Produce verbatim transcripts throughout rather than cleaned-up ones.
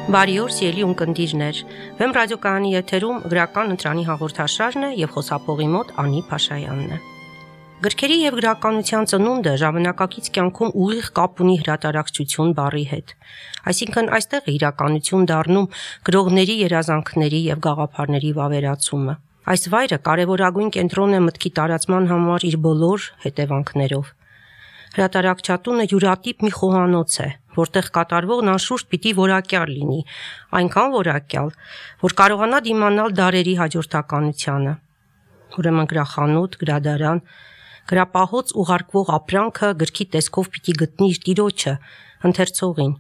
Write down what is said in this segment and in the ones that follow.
Բարի օր, սիրելի ունկնդիրներ։ Վեմ ռադիոկայանի եթերում գրական ընտրանի հաղորդաշարն է եւ խոսափողի մոտ Անի Փաշայանն է։ Գրքերի եւ գրականության ծնունդը ժամանակակից կյանքում ուղիղ կապ ունի հրատարակչություն բառի հետ։ Այսինքն այստեղ է իրականություն դառնում գրողների երազանքների եւ գաղափարների վավերացումը։ Այս վայրը կարևորագույն կենտրոն է մտքի տարածման համար իր բոլոր հետևանքներով։ Հրատարակչատունը յուրատիպ մի խոհանոց է, որտեղ կատարվողն անշուշտ պիտի որակյալ լինի, այնքան որակյալ, որ կարողանա դիմանալ դարերի հաջորդականությանը։ Ուրեմն գրախանութ, գրադարան, գրապահոց ուղարկվող ապրանքը գրքի տեսքով պիտի գտնի իր տիրոջը, ընթերցողին։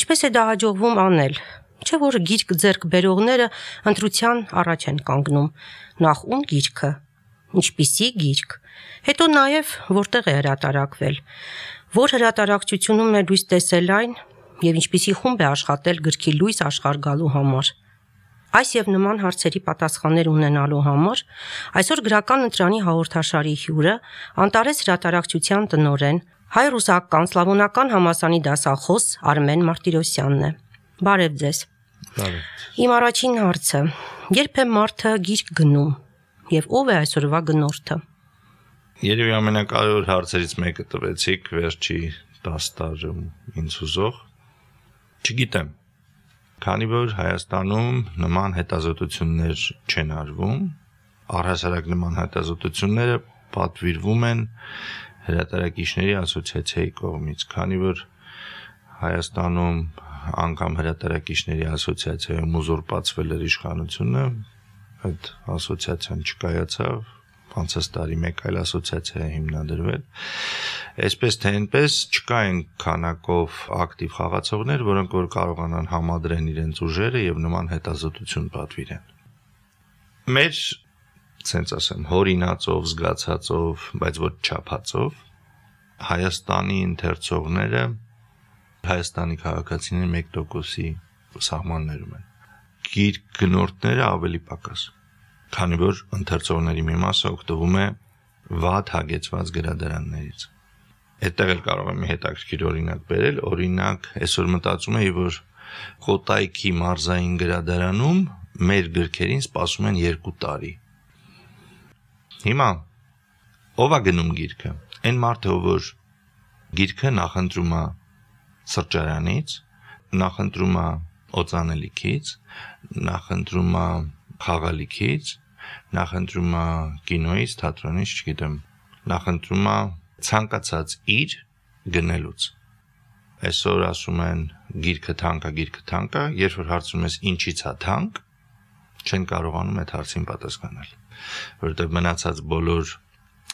Ինչպես է դա հաջողվում անել, չէ՞ որ գիրք ձեռք բերողները ընտրության առաջ են կանգնում, նախ ում գիրքը, ինչպիսի գիրք, հետո նաև որտեղ է հրատարակվել, որ հրատարակչությունում է լույս տեսել այն եւ ինչպիսի խումբ է աշխատել գրքի լույս աշխարհ գալու համար։ Այս եւ նման հարցերի պատասխաններ ունենալու համար այսօր գրական ընտրանի հաղորդաշարի հյուրը Անտարես հրատարակչության տնօրեն, հայ-ռուսական սլավոնական համալսարանի դասախոս Արմեն Մարտիրոսյանն է։ Բարև ձեզ։ Բարև։ Իմ առաջին հարցը. երբ է մարդը գիրք գնում եւ ով է այսօրվա գնորդը։ Երևի ամենակարևոր հարցերից մեկը տվեցիք վերջի տասը տարում ինձ հուզող։ Չգիտեմ, քանի որ Հայաստանում նման հետազոտություններ չեն արվում, առհասարակ նման հետազոտությունները պատվիրվում են հրատարակիչների ասոցիացիայի կողմից, քանի որ Հայաստանում անգամ հրատարակիչների ասոցիացիայում ուզուրպացվել էր իշխանությունը, այդ ասոցիացիան չկայացավ, անցած տարի մեկ այլ ասոցիացիա է հիմնադրվել, այսպես թե այնպես չկային քանակով ակտիվ խաղացողներ, որոնք որ կարողանան համադրեն իրենց ուժերը եւ նման հետազոտություն պատվիրեն։ Մեր, ցենց ասեմ, հորինածով, զգացածով, բայց ոչ չափածով Հայաստանի ընթերցողները Հայաստանի քաղաքացիների մեկ տոկոսի սահմաններում են։ Գիրք գնորդները ավելի պակաս, քանի որ ընթերցողների մի մասը օգտվում է վատ հագեցված գրադարաններից։ Այդտեղ էլ կարող եմ մի հետաքրքիր օրինակ բերել, օրինակ, այսօր մտածում եի, որ Կոտայքի մարզային գրադարանում մեր գրքերին սպասում են երկու տարի։ Հիմա ով է գնում գիրքը։ Այն մարդը, որ գիրքը նախընտրում է սրճարանից, նախընտրում է օծանելիքից, նախընտրում է խաղալիքից, նախընտրում է կինոյից, թատրոնից, չգիտեմ, նախընտրում է ցանկացած իր գնելուց։ Այսօր ասում են գիրքը թանկ է, գիրքը թանկ է, երբ որ հարցում ես ինչից է թանկ, չեն կարողանում այդ հարցին պատասխանել, որովհետև մնացած բոլոր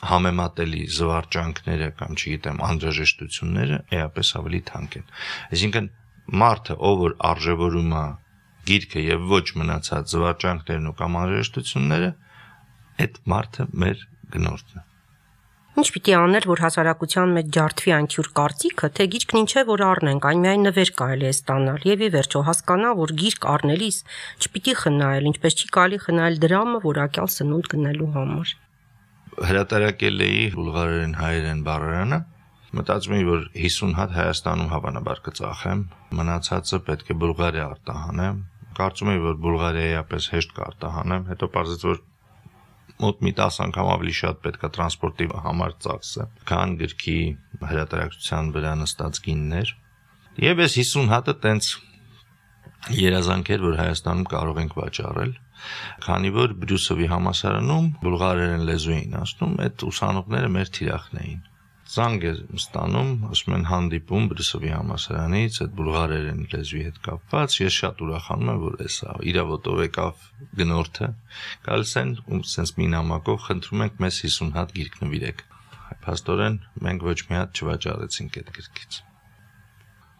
համեմատելի զվարճանքները կամ չգիտեմ անհրաժեշտությունները էապես ավելի թանկ են։ Այսինքն մարդը, ով որ արժևորում է գիրքը եւ ոչ մնացած զվարճանքներն ու կամ անհրաժեշտությունները, այդ մարդը մեր գնորդն է։ Ինչ պիտի անել, որ հասարակության մեջ ջարդվի այն թյուր կարծիքը, թե գիրքն ինչ է, որ առնենք, այն միայն նվեր կարելի է ստանալ, եւ ի վերջո հասկանա, որ գիրք առնելիս չպիտի խնայել, ինչպես չի կարելի խնայել դրամը որակյալ սնունդ գնելու համար։ Հրատարակել էի բուլղարերեն հայերեն բառարանը, մտածում էի, որ հիսուն հատ Հայաստանում հավանաբար կծախեմ, մնացածը պետք է Բուլղարիա արտահանեմ, կարծում էի, որ Բուլղարիայի ապես հեշտ կարտահանեմ, հետո պարզեց, որ մոտ մի տասը անգամ ավելի շատ պետք է տրանսպորտի համար ծախսը, քան գրքի հրատարակչության վրա նստած գիններ։ Եվ այս հիսուն հատը տենց երազանք էր, որ Հայաստանում կարող ենք վաճառել, քանի որ Բրյուսովի համալսարանում բուլղարերեն լեզու էին ասում, այդ ուսանողները մեր թիրախն էին։ Զանգ է ստանում, ասում են հանդիպում Բրյուսովի համալսարանից, այդ բուլղարերեն լեզվի հետ կապված, ես շատ ուրախանում եմ, որ էսա իրավոտով եկավ գնորդը, գալիս են ու սենց մի նամակով խնդրում ենք մեզ հիսուն հատ գիրք նվիրեք։ Փաստորեն մենք ոչ մի հատ չվաճառեցինք այդ գրքից։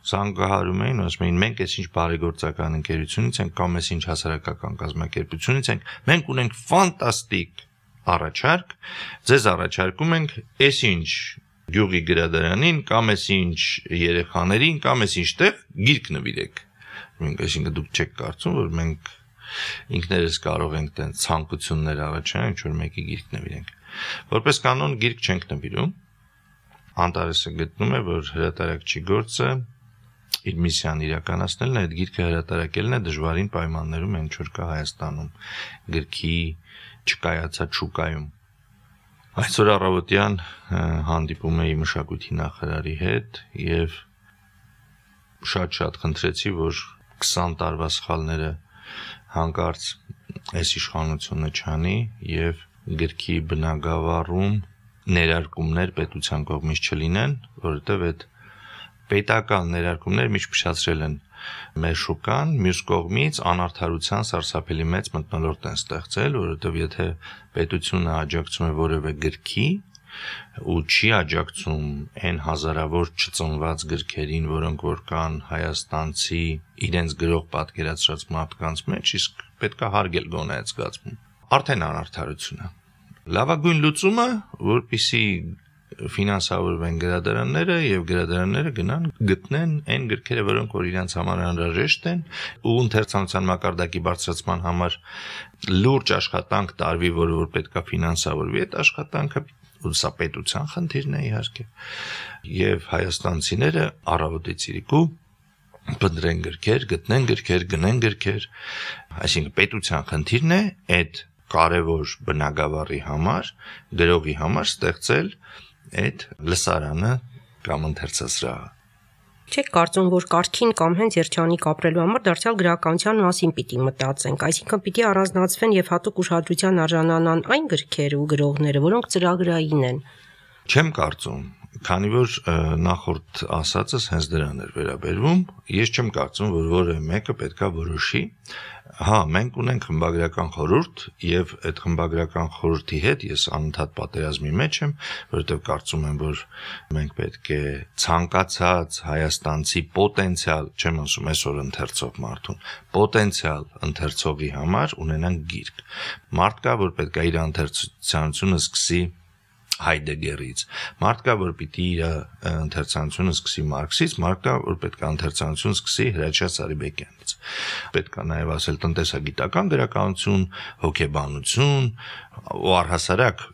Զանգահարում էին, ասում էին, մենք այս ինչ բարեգործական ընկերությունից ենք կամ այս ինչ հասարակական կազմակերպությունից ենք, մենք ունենք ֆանտաստիկ առաջարկ, ձեզ առաջարկում ենք այս ինչ գյուղի գրադարանին կամ այս ինչ երեխաներին կամ այս ինչ տեղ գիրք նվիրեք։ Մենք այսինքն դուք չեք կարծում, որ մենք ինքներս կարող ենք տենց ցանկություններ առաջանալ, ինչ որ մեկի գիրք նվիրենք։ Որպես կանոն գիրք չենք նվիրում։ Անտարեսը գտնում է, որ հրատարակչի գործը իր միսիան իրականացնելն է, այդ գիրքը հրատարակելն է դժվարին պայմաններում, ինչ որ կա Հայաստանում, գրքի չկայացած շուկայում։ Այսօր առավոտյան հանդիպում էի մշակույթի նախարարի հետ եւ շատ-շատ խնդրեցի, որ քսան տարվա սխալները հանկարծ այս իշխանությունը չանի եւ գրքի բնագավառում ներարկումներ պետության կողմից չլինեն, որովհետեւ այդ պետական ներարկումները միշտ փշացրել են մեր շուկան, մյուս կողմից անարդարության սարսափելի մեծ մթնոլորտ են ստեղծել, որովհետև եթե պետությունը աջակցում է որևէ գրքի ու չի աջակցում այն հազարավոր չծնված գրքերին, որոնք որ կան հայաստանցի իրենց գրող պատկերացրած մարդկանց մեջ, իսկ պետք է հարգել գոնե այդ զգացում։ Արդեն անարդարություն է։ Լավագույն լուծումը, որպեսզի ֆինանսավորվեն գրադարանները եւ գրադարանները գնան գտնեն այն գրքերը, որոնք որ իրենց համար անհրաժեշտ են ու ընթերցանության մակարդակի բարձրացման համար լուրջ աշխատանք տարվի, որը որ պետքա ֆինանսավորվի, այդ աշխատանքը ու սա պետության խնդիրն է իհարկե եւ հայաստանցիները առավոտից իրիկու բնդրեն գրքեր, գտնեն գրքեր, գնեն գրքեր, այսինքն պետության խնդիրն է այդ կարևոր բնագավառի համար, գրողի համար ստեղծել այդ լսարանը կամ ընթերցասրահը։ Չեք կարծում, որ կարգին կամ հենց երջանիկ ապրելու համար դարձյալ գրականության մասին պիտի մտածենք, այսինքն պիտի առանձնացվեն եւ հատուկ ուշադրության արժանանան այն գրքերը ու գրողները, որոնք ծրագրային են։ Չեմ կարծում, քանի որ նախորդ ասածս հենց դրան էր վերաբերվում, ես չեմ կարծում, որ որևէ մեկը պետքա որոշի։ Հա, մենք ունենք խմբագրական խորհուրդ եւ այդ խմբագրական խորհրդի հետ ես անընդհատ պատերազմի մեջ եմ, որովհետեւ կարծում եմ, որ մենք պետք է ցանկացած հայաստանցի պոտենցիալ, չեմ ասում այսօր ընթերցող մարդուն, պոտենցիալ ընթերցողի համար ունենանք գիրք։ Մարդ կա, որ պետք է իր ընթերցությունությունը սկսի Հայդեգերից, մարդ կա, որ պիտի իր ընթերցանությունը սկսի Մարքսից, մարդ կա, որ պետք է ընթերցանություն սկսի Հրաչյա Սարիբեկյանից։ Պետք է նաև ասել տնտեսագիտական գրականություն, հոգեբանություն, ու առհասարակ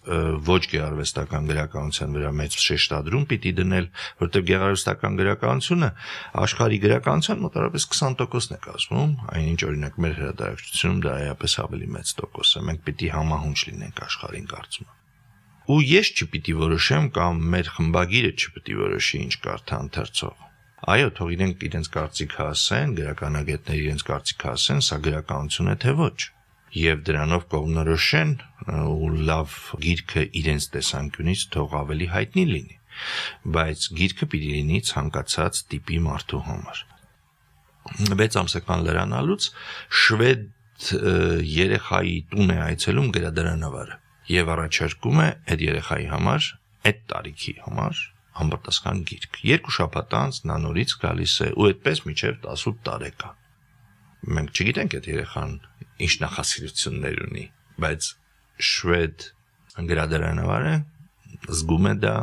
ոչ գեղարվեստական գրականության վրա մեծ շեշտադրում պիտի դնել, որտեղ գեղարվեստական գրականությունը աշխարհի գրականության մոտավորապես քսան տոկոսն է կազմում, այնինչ օրինակ մեր հրատարակչությունում դա այապես ավելի մեծ տոկոս է։ Մենք պիտի համահունչ լինենք աշխարհին, կարծում եմ։ Ու ես չպիտի որոշեմ կամ մեր խմբագիրը չպիտի որոշի ինչ կարդա ընթերցող։ Այո, թող իրենք իրենց կարծիքը ասեն, գրականագետները իրենց կարծիքը ասեն, սա գրականություն է թե ոչ։ Եվ դրանով կողմնորոշեն ու լավ գիրքը իրենց տեսանկյունից թող ավելի հայտնի լինի, բայց գիրքը պիտի լինի ցանկացած տիպի մարդու համար։ վեց ամսական լրանալուց շվեդ երեխայի տուն է այցելում գրադարանավարը եւ առաջարկում է այդ երեխայի համար, այդ տարիքի համար համապատասխան գիրք։ Երկու շաբաթ անց նա նորից գալիս է ու այդպես մինչև տասութ տարեկան։ Մենք չգիտենք այդ երեխան ինչ նախասիրություններ ունի, բայց շվեդ գրադարանավարը զգում է դա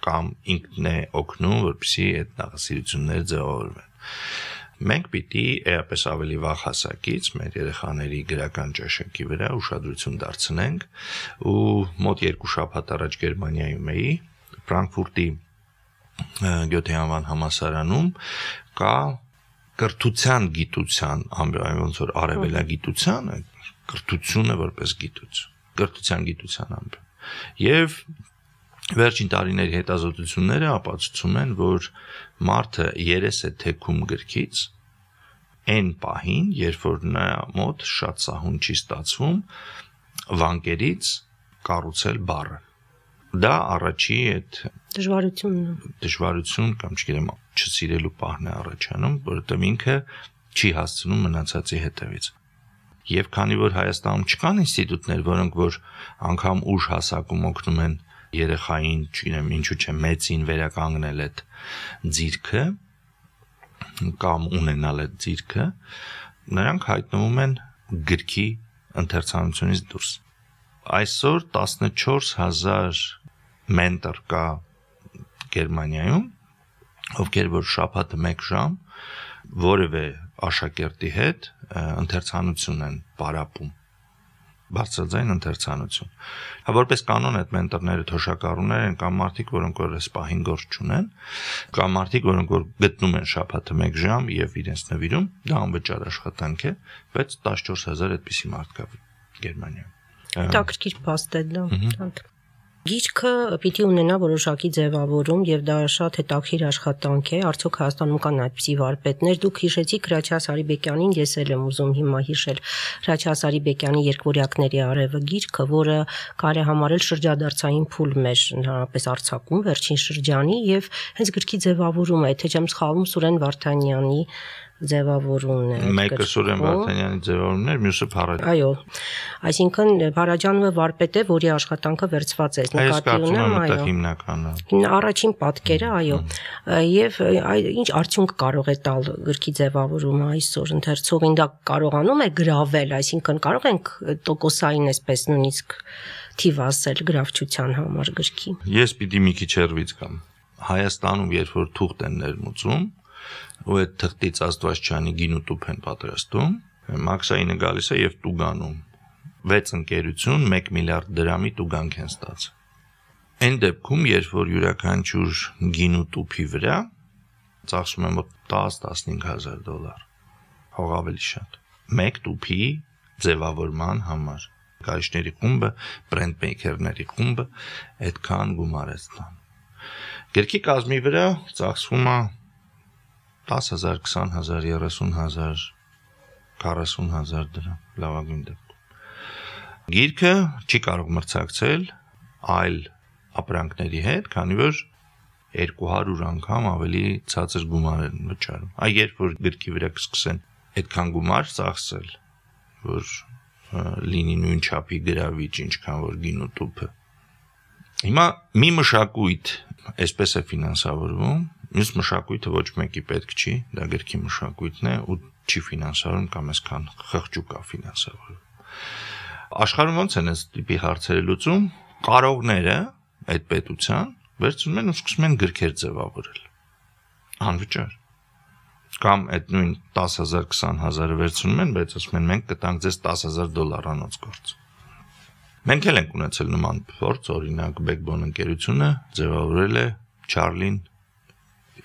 կամ ինքն է օգնում, որպեսզի այդ նախասիրությունները ձևավորվեն։ Մենք պիտի էապես ավելի վաղ հասակից մեր երեխաների գրական ճաշակի վրա ուշադրություն դարձնենք ու մոտ երկու շաբաթ առաջ Գերմանիայում էի, Ֆրանկֆուրտի Գյոթե անվան համալսարանում կա կրթության գիտության, ոնց որ արևելագիտության, կրթությունը որպես գիտություն, կրթության գիտության ամբը։ Եվ վերջին տարիների հետազոտությունները ապացուցում են, որ մարդը երես է թեքում գրքից այն պահին, երբ որ նա մոտ շատ սահուն չի ստացվում վանկերից կառուցել բառը։ Դա առաջի այդ դժվարությունն դժվարություն կամ չգիտեմ չսիրելու պահն է առաջանում, որովհետև ինքը չի հասցնում մնացածի հետևից։ Եվ քանի որ Հայաստանում չկան ինստիտուտներ, որոնք որ անգամ ուժ հասակում օգնում են երեխային, չգիտեմ, ինչու՞ չէ մեծին վերականգնել այդ ձիրքը կամ ունենալ այդ ձիրքը, նրանք հայտնվում են գրքի ընթերցանությունից դուրս։ Այսօր տասնչորս հազար մենտոր կա Գերմանիայում, ովքեր որ շաբաթը մեկ ժամ որևէ աշակերտի հետ ընթերցանություն են պարապում։ բարձրաձայն ընթերցանություն։ Հա որպես կանոն այդ մենտորները թոշակառուներ են կամ մարդիկ, որոնք որ այս պահին գործ չունեն, կամ մարդիկ, որոնք որ գտնում են շաբաթը մեկ ժամ եւ իրենց նվիրում, դա անվճար աշխատանք է, բայց տասնչորս հազար այդպիսի մարդ կա Գերմանիայում։ Դա քրքիր փաստ է դա։ Գիրքը պիտի ունենա որոշակի ձևավորում եւ դա շատ հետաքրքիր աշխատանք է, արդյոք Հայաստանում կան այդպիսի վարպետներ, դուք հիշեցիք Հրաչյա Սարիբեկյանին, ես էլ եմ ուզում հիմա հիշել Հրաչյա Սարիբեկյանի Երկվորյակների արևը գիրքը, որը կարելի է համարել շրջադարձային փուլ մեր ընդհանրապես արձակում վերջին շրջանի եւ հենց գրքի ձևավորումը, եթե չեմ սխալվում, Սուրեն Վարդանյանի ձևավորումն է։ Մեկը Սուրեն Վարդանյանի ձևավորումն էր, մյուսը Փարաջան։ Այո, այսինքն Փարաջանովը վարպետ է, որի աշխատանքը վերցված է, նկատի ունեմ, այո։ Հիմնականը։ Առաջին պատկերը, այո։ Եվ ինչ արդյունք կարող է տալ գրքի ձևավորումը այսօր ընթերցողին, դա կարողանում է գրավել, այսինքն կարող ենք տոկոսային այսպես նույնիսկ թիվ ասել գրավչության համար գրքի։ Ես պիտի մի քիչ հեռվից գամ։ Հայաստանում երբ որ թուղթ են ներմուծում, ու այդ թղթից Աստվածչյանի գինու տուփ են պատրաստում, Մաքսայինը գալիս է եւ տուգանում։ վեց ընկերություն մեկ միլիարդ դրամի տուգանք են ստացել։ Այն դեպքում, երբ որ յուրաքանչյուր գինու տուփի վրա ծախսում են մոտ տաս-տասնհինգ հազար դոլար, հող ավելի շատ։ Մեկ տուփի ձևավորման համար գարիչների խումբը, բրենդ մեյքերների խումբը այդքան գումար է ստանում։ Գրքի կազմի վրա ծախսվում է դաս հազար, քսան հազար, երեսուն հազար, քառասուն հազար դրամ, լավագույն դեպքում։ Գիրքը չի կարող մրցակցել այլ ապրանքների հետ, քանի որ երկու հարյուր անգամ ավելի ցածր գումար են վճարում։ Այ երբ որ գրքի վրա կսկսեն այդքան գումար ծախսել, որ լինի նույն չափի գրավիչ, ինչքան որ գինու տուփը։ Հիմա մի մշակույթ այսպես է ֆինանսավորվում, մյուս մշակույթը ոչ մեկի պետք չի, դա գրքի մշակույթն է ու չի ֆինանսավորում կամ այսքան խղճուկ է ֆինանսավորում։ Աշխարհում ոնց են այս տիպի հարցերը լուծում, կարողները այդ պետության վերցնում են ու սկսում են գրքեր ձևավորել։ Անվճար։ Կամ այդ նույն տաս հազար, քսան հազարը վերցնում են, բայց ասում են մենք կտանք ձեզ տաս հազար դոլարանոց գործ։ Մենք էլ ենք ունեցել նման փորձ, օրինակ Backbone ընկերությունը ձևավորել է Չարլին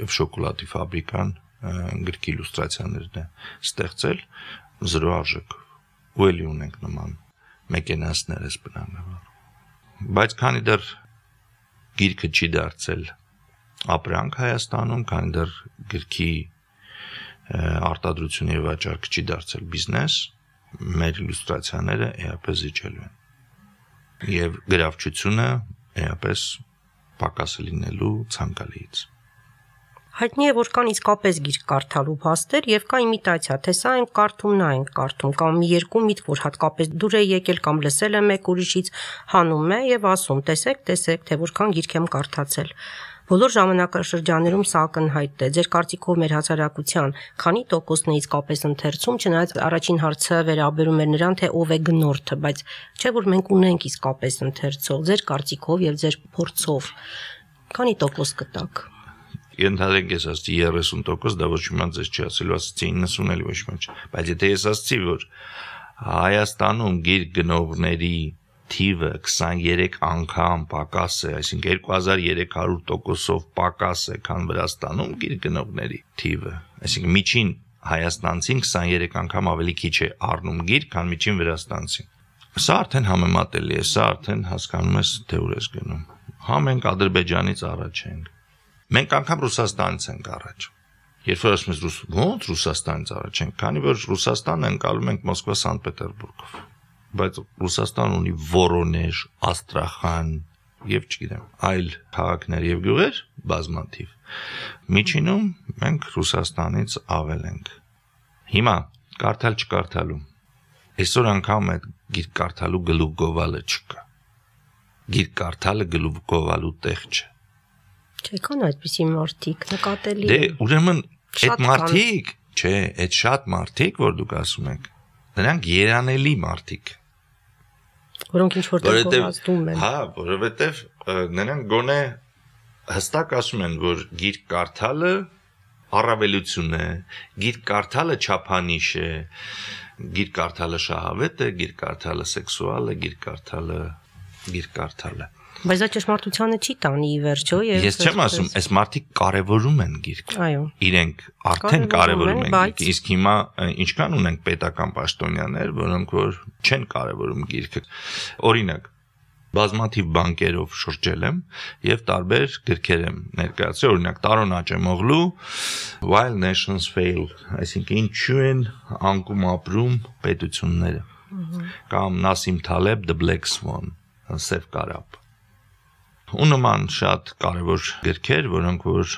եւ շոկոլադի ֆաբրիկան գրքի իլյուստրացիաներն է ստեղծել զրո արժեքով։ Ու էլի ունենք նման մեքենասներ էս բնագավառ։ Բայց քանի դեռ գիրքը չի դարձել ապրանք Հայաստանում, քանի դեռ գրքի արտադրությունը եւ վաճառքը չի դարձել բիզնես, մեր իլյուստրացիաները էապես իջելու են։ Եվ գրավչությունը էապես պակասը լինելու ցանկալիից։ Հայտնի է, որ կան իսկապես գիրք կարդալու փաստեր եւ կա իմիտացիա, թե սա ենք կարդում, նա ենք կարդում, կամ մի երկու միտք, որ հատկապես դուր է եկել կամ լսել է մեկ ուրիշից, հանում է եւ ասում. տեսեք, տեսեք, թե որքան գիրք եմ կարդացել։ Բոլոր ժամանակաշրջաններում սա ակնհայտ է։ Ձեր կարծիքով մեր հասարակության քանի տոկոսն է իսկապես ընթերցում, չնայած առաջին հարցը վերաբերում էր նրան, թե ով է գնորդը, բայց չէ՞ որ մենք ունենք իսկապես ընթերցող, ձեր կարծիքով եւ ձեր փորձով քանի տոկոս կտակ։ Ենթադրենք ես ասացի երեսուն տոկոս, դա ոչ մի ձեզ չի ասելու, ասացի իննսուն էլի ոչ մի չի։ Բայց եթե ես ասացի, որ Հայաստանում գիրք գնողների թիվը քսաներեք անգամ պակաս է, այսինքն երկու հազար երեք հարյուր տոկոսով պակաս է, քան Վրաստանում գիրք գնողների թիվը, այսինքն միջին հայաստանցին քսաներեք անգամ ավելի քիչ է առնում գիրք, քան միջին վրաստանցին։ Սա արդեն համեմատելի է, սա արդեն հասկանում ես, թե ուր ես գնում։ Հա մենք Ադրբեջանից առաջ ենք։ Մենք անգամ Ռուսաստանից ենք առաջ։ Երբ որ ասում ես ոնց Ռուսաստանից առաջ ենք, քանի որ Ռուսաստանը ընկալում ենք Մոսկվա Սանկտ-Պետերբուրգով։ Բայց Ռուսաստան ունի Վորոնեժ, Աստրախան եւ չգիտեմ, այլ քաղաքներ եւ գյուղեր բազմաթիվ։ Միջինում մենք Ռուսաստանից ավել ենք։ Հիմա կարդալ չկարդալու։ Այսօր անգամ այդ գիրք կարդալու գլուխ գովալը չկա։ Գիրք կարդալը գլուխ գովալու տեղ չէ։ Չէ, կան այդպիսի մարդիկ, նկատելի։ Դե ուրեմն այդ մարդիկ, չէ, այդ շատ մարդիկ, որ դուք ասում եք, նրանք երանելի մարդիկ, որոնք ինչ որտեղ գովազդում են։ Հա, որովհետև նրանք գոնե հստակ ասում են, որ գիրք կարդալը առավելություն է, գիրք կարդալը չափանիշ է, գիրք կարդալը շահավետ է, գիրք կարդալը սեքսուալ է, գիրք կարդալը գիրք կարդալը։ Բայց դա ճշմարտությանը չի տանի ի վերջո եւ Ես չեմ ասում, այս մարդիկ կարևորում են գիրք։ Այո։ Իրենք արդեն կարևորում են գիրք, իսկ հիմա ինչքան ունենք պետական պաշտոնյաներ, որոնք որ չեն կարևորում գիրքը։ Օրինակ, բազմաթիվ բանկերով շրջել եմ եւ տարբեր գրքեր եմ ներկայացրել, օրինակ Տարոն Աճեմօղլու While Nations Fail, այսինքն ինչու են անկում ապրում պետությունները, կամ Նասիմ Թալեբ The Black Swan, Սև կարապ։ Ու նման շատ կարևոր գրքեր, որոնք որ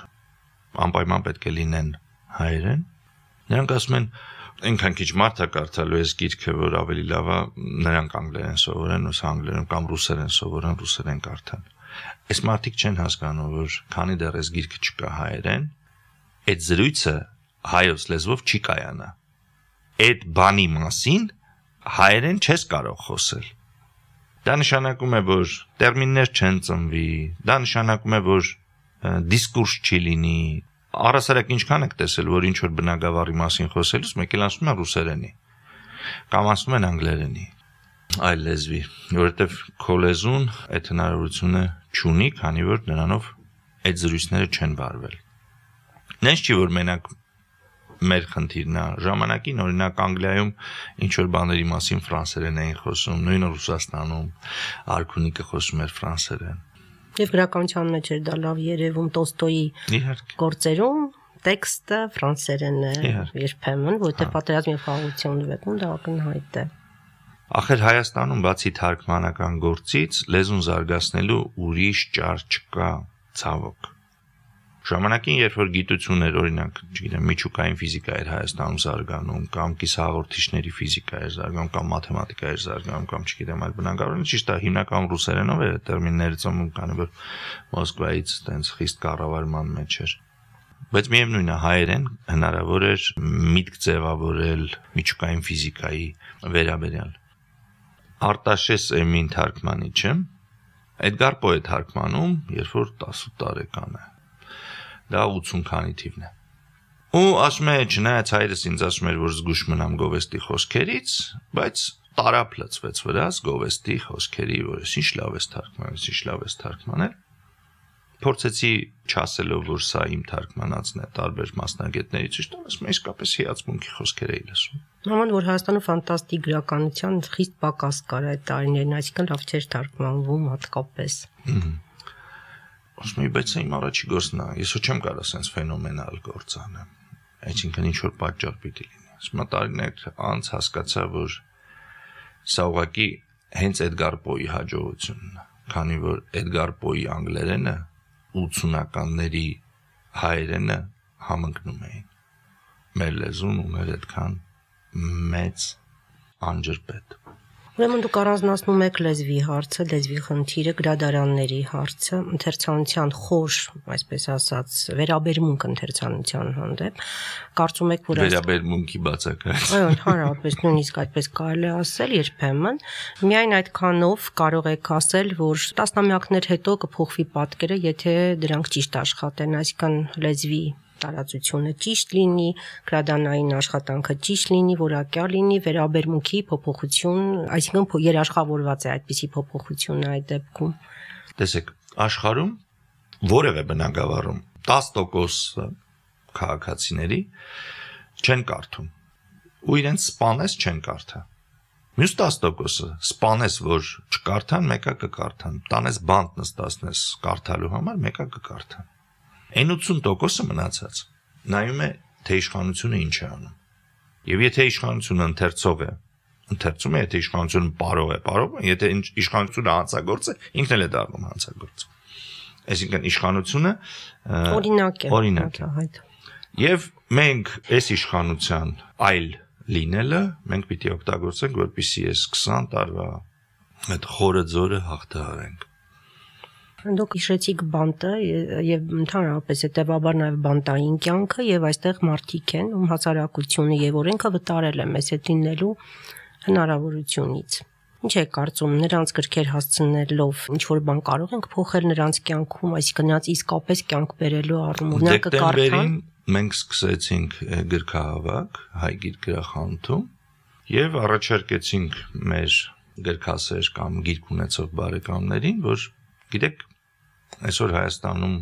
անպայման պետք է լինեն հայերեն։ Նրանք ասում են, այնքան քիչ մարդ է կարդալու այս գիրքը, որ ավելի լավ է նրանք անգլերեն սովորեն, ուսա անգլերեն կամ ռուսերեն սովորեն, ռուսերեն կարդան։ Այս մարդիկ չեն հասկանում, որ քանի դեռ այս գիրքը չկա հայերեն, այդ զրույցը հայոց լեզվով չի կայանա։ Այդ բանի մասին հայերեն չես կարող խոսել։ Դա նշանակում է, որ տերմիններ չեն ծնվի, դա նշանակում է, որ դիսկուրս չի լինի։ Առասարակ ինչքան եք տեսել, որ ինչ որ բնագավառի մասին խոսելուց մեկ էլ ասում են ռուսերենի, կամ ասում են անգլերենի, այլ լեզվի, որովհետև քո լեզուն այդ հնարավորությունը չունի, քանի որ նրանով այդ զրույցները չեն վարվել։ Նենց չի, որ մենակ մեր խնդիրն է, ժամանակին օրինակ Անգլիայում ինչ որ բաների մասին ֆրանսերեն էին խոսում, նույնը Ռուսաստանում արքունիկը խոսում էր ֆրանսերեն։ Եվ գրականության մեջ էր դա լավ երևում Տոլստոյի գործերում տեքստը ֆրանսերեն է երբեմն, որովհետև պատերազմի խաղաղության վեպում դա ակնհայտ է։ Ախր Հայաստանում բացի թարգմանական գործից լեզուն զարգացնելու ուրիշ ճար չկա, ցավոք։ Ժամանակին, երբ որ գիտություն էր, օրինակ, չգիտեմ, միջուկային ֆիզիկա էր Հայաստանում զարգանում, կամ կիսահաղորդիչների ֆիզիկա էր զարգանում, կամ մաթեմատիկա էր զարգանում, կամ չգիտեմ, այլ բնագավառներ, ճիշտ է, հիմնական ռուսերենով էր տերմինները ծնվում, քանի որ Մոսկվայից տենց խիստ կառավարման մեջ էր։ Բայց միևնույն է, հայերեն հնարավոր էր միտք ձևավորել միջուկային ֆիզիկայի վերաբերյալ։ Արտաշես Էմին թարգմանիչը Էդգար Պոյ է թարգմանում, երբ որ տասը տարեկան է։ Դա ութսուն քանի թիվն է։ Ու ասում է, չնայած հայրս ինձ ասում էր, որ զգուշ մնամ Գովեստի խոսքերից, բայց տարապ լծվեց վրաս Գովեստի խոսքերի, որ ինչ լավ ես թարգմանել, ինչ լավ ես թարգմանել։ Փորձեցի չասելով, որ սա իմ թարգմանածն է, տարբեր մասնագետներից, ճիշտ ասում եմ, իսկապես հիացմունքի խոսքեր էի լսում։ Նման որ Հայաստանում ֆանտաստիկ գրականության խիստ պակաս կար այդ տարիներին, այսինքն լավ չէր թարգմանվում հատկապես։ Ասում եմ, բայց իմ առաջի գործն է, ես ոչ չեմ կարող ասենց ֆենոմենալ գործ անեմ, այսինքն ինչ որ պատճառ պիտի լինի։ Ասում եմ, տարիներ անց հասկացա, որ սա ուղղակի հենց Էդգար Պոյի հաջողությունն է, քանի որ Էդգար Պոյի անգլերենը ութսունականների հայերենը համընկնում էին։ Մեր լեզուն ուներ այդքան մեծ անջրպետ։ Ուրեմն դուք առանձնացնում եք լեզվի հարցը, լեզվի խնդիրը, գրադարանների հարցը, ընթերցանության խոր, այսպես ասած, վերաբերմունք ընթերցանության հանդեպ, կարծում եք, որ վերաբերմունքի բացակայություն։ Այո, ընդհանրապես նույնիսկ այդպես կարելի է ասել երբեմն, միայն այդքանով կարող եք ասել, որ տասնամյակներ հետո կփոխվի պատկերը, եթե դրանք ճիշտ աշխատեն, այսինքն լեզվի տարածությունը ճիշտ լինի, գրադարանային աշխատանքը ճիշտ լինի, որակյալ լինի, վերաբերմունքի փոփոխություն, այսինքն երաշխավորված է այդպիսի փոփոխությունը այդ դեպքում։ Տեսեք, աշխարհում որևէ բնագավառում տասը տոկոս քաղաքացիների չեն կարդում, ու իրենց սպանես չեն կարդա։ Մյուս տասը տոկոսը սպանես, որ չկարդան, մեկը կկարդան, տանես բանտ նստացնես կարդալու համար, մեկը կկարդան։ Այն ութսուն տոկոսը մնացած նայում է, թե իշխանությունը ինչ է անում։ Եվ եթե իշխանությունը ընթերցող է, ընթերցում է, եթե իշխանությունը պարող է, պարող է, եթե իշխանությունը հանցագործ է, ինքն էլ է դառնում հանցագործ։ Այսինքն իշխանությունը օրինակ է, օրինակ է։ Եվ մենք այս իշխանության այլ լինելը մենք պիտի օգտագործենք, որպեսզի այս քսան տարվա այդ խորը ձորը հաղթահարենք։ Դուք հիշեցիք բանտը եւ ընդհանրապես հետեւաբար նաեւ բանտային կյանքը եւ այստեղ մարդիկ են, ում հասարակությունը եւ օրենքը վտարել է մեզ հետ լինելու հնարավորությունից։ Ինչ եք կարծում, նրանց գրքեր հասցնելով ինչ որ բան կարող ենք փոխել նրանց կյանքում, այսինքն նրանց իսկապես կյանք բերելու առումով նա կկարդան։ Մենք սկսեցինք գրքահավաք հայ գիրքրախանութում Եվ առաջարկեցինք մեր գրքասեր կամ գիրք ունեցող բարեկամներին, որ գիտեք, այսօր Հայաստանում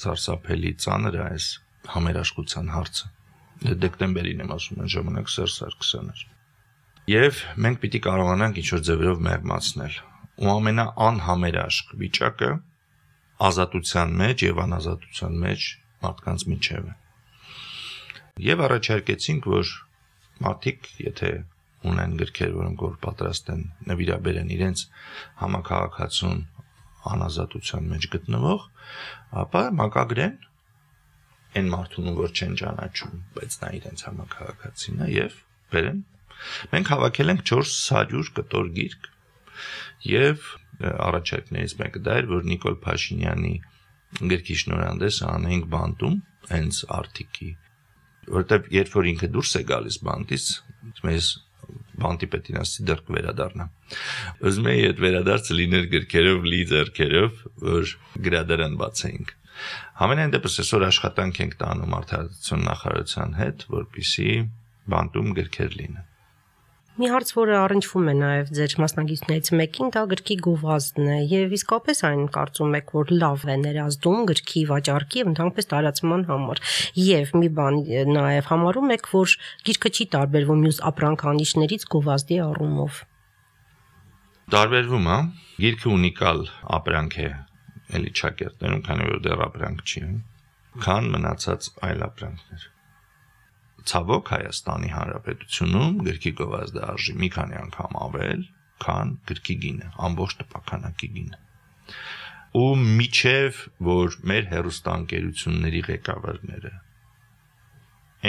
սարսափելի ծանր է այս համերաշխության հարցը։ Դեկտեմբերին եմ ասում, այն ժամանակ Սերժ Սարգսյանն էր։ Եվ մենք պիտի կարողանանք ինչ-որ ձևերով մեղմացնել։ Ու ամենաանհամերաշխ վիճակը ազատության մեջ եւ անազատության մեջ մարդկանց միջև է։ Եվ առաջարկեցինք, որ մարդիկ, եթե ունեն գրքեր, որոնք որ պատրաստ են նվիրաբերեն իրենց համակարգացուն անազատության մեջ գտնվող, ապա մակագրեն այն մարդուն, որ չեն ճանաչում, բայց նա իրենց համակարգացին է եւ բերեն։ Մենք հավաքել ենք չորս հարյուր կտոր գիրք եւ առաջարկներից մեկը դա էր, որ Նիկոլ Փաշինյանի գրքի շնորհանդեսը անենք բանտում, հենց Արթիկի, որտեղ երբ որ ինքը դուրս է գալիս բանտից, մեզ բանտի պետին ասի դեռ կվերադառնա։ Ուզում եի այդ վերադարձը լիներ գրքերով, լի ձեռքերով, որ գրադարան բացեինք։ Համենայն դեպս այսօր աշխատանք ենք տանում Արդարադատության նախարարության հետ, որպեսզի բանտում գրքեր լինեն։ Մի հարց, որը առնչվում է նաև ձեր մասնագետներից մեկին, դա գրքի գովազդն է, եւ իսկապես այն կարծում եք, որ լավ է ներազդում գրքի վաճառքի եւ ընդհանրապես տարածման համար։ Եվ մի բան նաև համարում եք, որ գիրքը չի տարբերվում մյուս ապրանքանիշներից գովազդի առումով։ Տարբերվում է, գիրքը ունիկալ ապրանք է, էլի ճակերտներում, քանի որ դեռ ապրանք չի, քան մնացած այլ ապրանքներ։ Ցավոք Հայաստանի Հանրապետությունում գրքի գովազդը արժի մի քանի անգամ ավել, քան գրքի գինը, ամբողջ տպականակի գինը։ Ու միջև, որ մեր հեռուստաընկերությունների ղեկավարները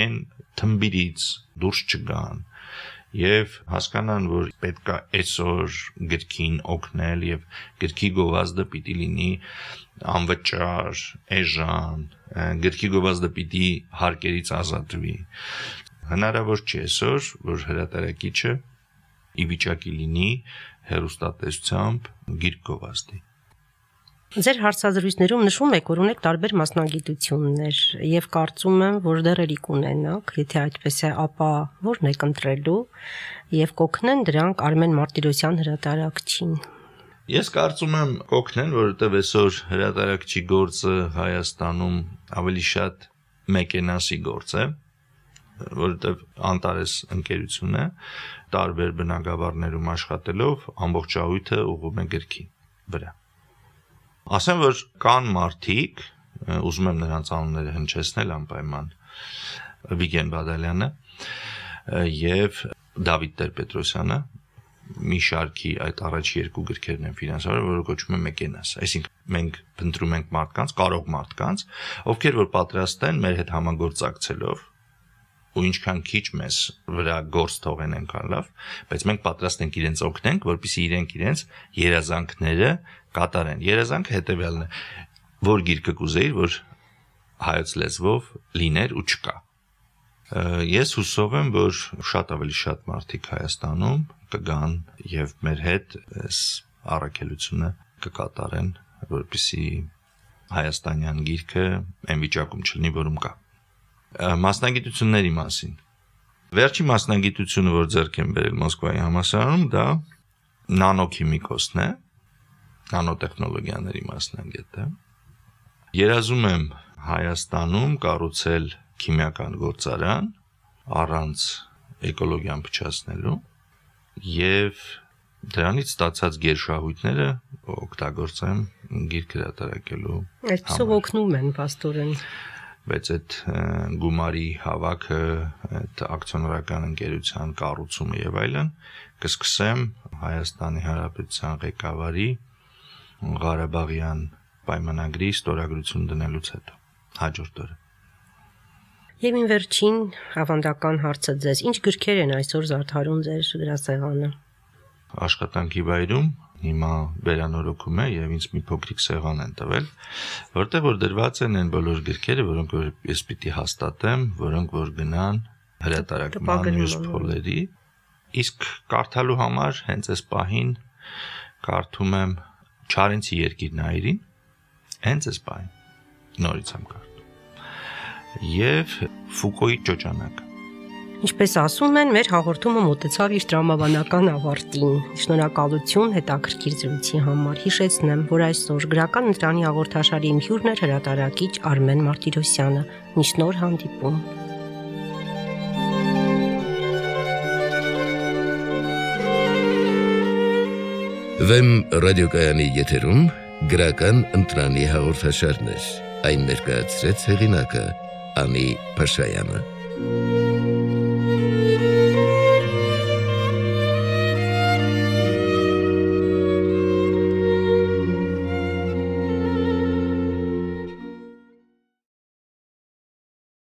այն թմբիրից դուրս չգան եւ հասկանան, որ պետք է այսօր գրքին օգնել եւ գրքի գովազդը պիտի լինի անվճար, էժան, գրքի գովազդը պիտի հարկերից ազատվի։ Հնարավոր չէ այսօր, որ հրատարակիչը ի վիճակի լինի հեռուստատեսությամբ գիրք գովազդի։ Ձեր հարցազրույցներում նշում եք, որ ունեք տարբեր մասնագիտություններ եւ կարծում եմ, որ դեռ էլի կունենաք, եթե այդպես է, ապա ո՞րն եք ընտրելու եւ կօգնեն դրանք Արմեն Մարտիրոսյան հրատարակչին։ Ես կարծում եմ կօգնեն, որովհետեւ այսօր հրատարակչի գործը Հայաստանում ավելի շատ մեկենասի գործ է, որովհետեւ Անտարես ընկերություն է, տարբեր բնակավարներում աշխատելով ամբողջահույթը ուղղում է գրքի վրա։ Ասեմ, որ կան մարդիկ, ուզում եմ նրանց անունները հնչեցնել անպայման, Վիգեն Բադալյանը եւ Դավիթ Տեր-Պետրոսյանը, մի շարքի այդ առաջի երկու գրքերն են ֆինանսավորել, որը կոչվում է Մեկենաս։ Այսինքն մենք փնտրում ենք մարդկանց, կարող մարդկանց, ովքեր որ պատրաստ են մեր հետ համագործակցելով ու ինչքան քիչ մեզ վրա գործ թողեն այնքան լավ, բայց մենք պատրաստ ենք իրենց օգնենք, որպեսզի իրենք իրենց երազանքները կատարեն։ Երազանքը հետևյալն է, որ գիրքը կուզեիր, որ հայոց լեզվով լիներ ու չկա։ Ես հուսով եմ, որ շատ ավելի շատ մարդիկ Հայաստանում կգան եւ մեր հետ այս առաքելությունը կկատարեն, որպեսզի հայաստանյան գիրքը այն վիճակում չլինի, որում կա։ Մասնագիտությունների մասին։ Վերջի մասնագիտությունը, որ ձեռք եմ բերել Մոսկվայի համալսարանում, դա նանոքիմիկոսն է, նանոտեխնոլոգիաների մասնագետ է։ Երազում եմ Հայաստանում կառուցել քիմիական գործարան առանց էկոլոգիան փչացնելու եւ դրանից ստացած գերշահույթները օգտագործեմ գիրք հրատարակելու։ Այսպեսով օգնում են պաստորեն։ Բայց այդ գումարի հավաքը, այդ ակցիոներական ընկերության կառուցումը եւ այլն կսկսեմ Հայաստանի Հանրապետության ղեկավարի Ղարաբաղյան պայմանագրի ստորագրություն դնելուց հետո հաջորդ օրը։ Եվ ին վերջին ավանդական հարցը ձեզ, ինչ գրքեր են այսօր զարդարում ձեր գրասեղանը։ Աշխատանքի վայրում հիմա վերանորոգում է եւ ինձ մի փոքրիկ սեղան են տվել, որտեղ որ դրված են այն բոլոր գրքերը, որոնք որ ես պիտի հաստատեմ, որոնք որ գնան հրատարակման մյուս փոլերի, իսկ կարդալու համար հենց այս պահին կարդում եմ Չարենցի երկիրն այրին, հենց այս պահին նորից եմ կարդում, եւ Ֆուկոյի ճոճանակը։ Ինչպես ասում են, մեր հաղորդումը մոտեցավ իր տրամաբանական ավարտին։ Շնորհակալություն հետաքրքիր զրույցի համար։ Հիշեցնեմ, որ այսօր գրական ընտրանի հաղորդաշարի իմ հյուրն էր հրատարակիչ Արմեն Մարտիրոսյանը։ Մինչ նոր հանդիպում։ Վեմ ռադիոկայանի եթերում գրական ընտրանի հաղորդաշարներ։ Այն ներկայացրեց հեղինակը Անի Փաշայանը։